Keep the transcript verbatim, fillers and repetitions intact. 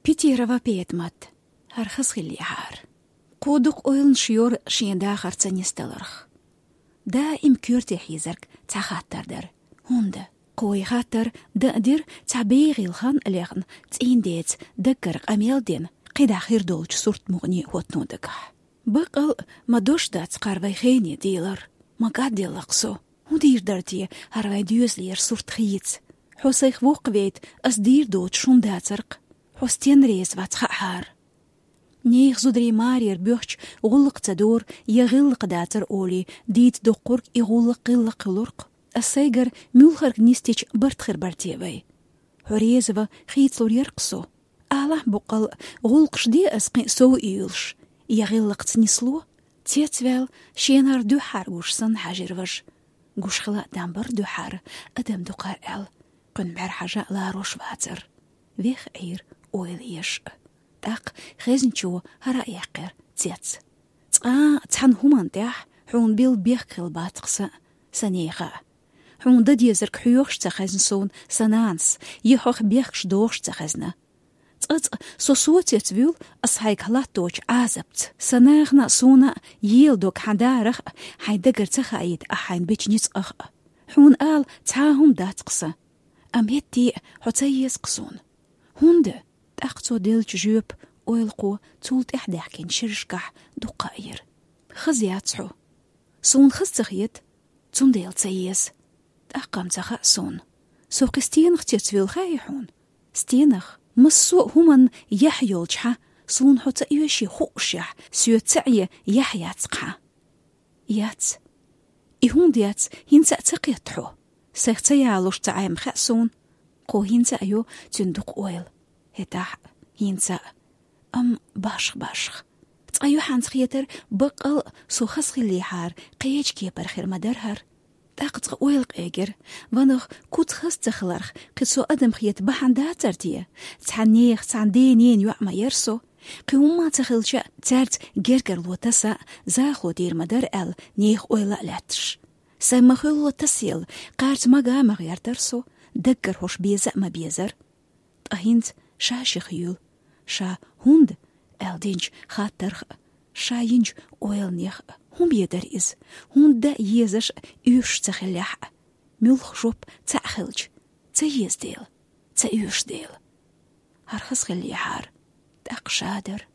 Питерова Петмат. ХӀара хаза хиллехьара. Кхо дукха ойланаш йора шен дахарца нисдаларх. Даим коьрте хьийзарг цхьа хаттар дара. ХӀунда? Кхо хаттар дан а дира, цхьа бегӀийла хан а лехна, цӀийндеца, даггара къамел а дина, кхидӀа хир долчу сурт-мукъане хӀоттано дагахь. Баккъал а ма дош дац кхара вай хене дийлар. Ма кӀадделла-кх со. ХӀун дийр дара те хӀара вайн доьзалера сурт хийца? Хьо сайх воккхавейта, ас дийр доцуш хӀума дацара-кх. Хьо стенна реза вац хаахьара. Нехан зударий марера боьхча, гӀуллакх ца дора я гӀиллакх дацара олий, дийца доккхург и гӀуллакх-гӀиллакх хуьлура-кх. Ас сайгара муьлхарг нисдича барт хир бара те вай? Хьо реза ван хийцалур яра-кх со. Алахь буккъал, гӀуллакхаш де ас кхин а сов уьйлуш, я гӀиллакхца нисло? Цецваьлла, шена хӀара дуьххьара гуш санна хьаьжира важа. Гуш хила а там бара дуьххьара, адам ду кхара аьлла, кхуьнан бӀаьра хьажа а ларош вацара. Веха Ӏийра ойла еш а. ТӀаккха хезначо хӀара а яьккхира цец. Цкъа а цхьана хӀуманна тӀехь хьуна билла бехк хилла бац-кх сан, сан нехан а. Хьуна дан дезарг хьоьхуш ца хезна суна сан нанас, я хьох бехкаш дохуш ца хезна. Цкъа-цкъа со соцецвуьйлу ас хьайгахь латточу Ӏазапца. Сан нахана а, суна а ела дог хьан дарах а, хьайн дагара ца хаийта ахь хьайна бечу ницкъах а. Хьуна ала цхьа а хӀума дац-кх сан. Амма хӀетте а хьо ца еза-кх суна. ХӀунда? ТӀаккха цо деллачу жоьпан ойлакхо цул тӀаьхьа даьхкинчу шерашкахь дукха а йира. Хаза яц хьо. Суна хаза ца хета, цундела ца еза. ТӀаккха-м ца хаьа суна. Со кхин стенах цецвуьйлу хаьий хьуна? Стенах? Массо а хӀуманна яхь йолчу хьан, суна хьо ца оьший хуушехь, соьца ца Ӏе яхь яц-кх хьан? Яц. И хӀунда яц, хӀинца а ца кхетта хьо? Сайх ца ялош ца Ӏай-м хаьа суна. Кхо хӀинца а йо цуьнан дукха ойла. ХӀетахь а, хӀинца а. Амма башха-башха. Цкъа юьхьанца хетара, баккъал а со хаза хиллехьара, кхечу кепара хир ма дара хӀара. ТӀаккха цкъа ойла къегира. Ванах, куц хаза ца хиларх, кхин со адам хета бахьана дацара те? Цхьана нехан, цхьана ден-ненан йоӀ ма яра со. Кхин хӀумма а ца хилча а, цаьрца гергарло таса а, захало дийр ма дара аьлла, нехан ойла а лаьтташ. Сайн ма-хуьллу тасаелла, кхарца мага а ма гӀертара со, даггара хӀорш беза а ма безара. Ткъа хӀинца ша шех юьйлу, ша хӀунда аьлла динчу хаттарх а, ша йинчу ойланех а. ХӀун бен дара иза? ХӀунда дан езаш а, оьшуш ца хиллехь а? Муьлхха жоп цхьаъ хилча, ца еза дела, ца оьшу дела? ХӀара хаза хиллехьара, тӀаккха ша дара.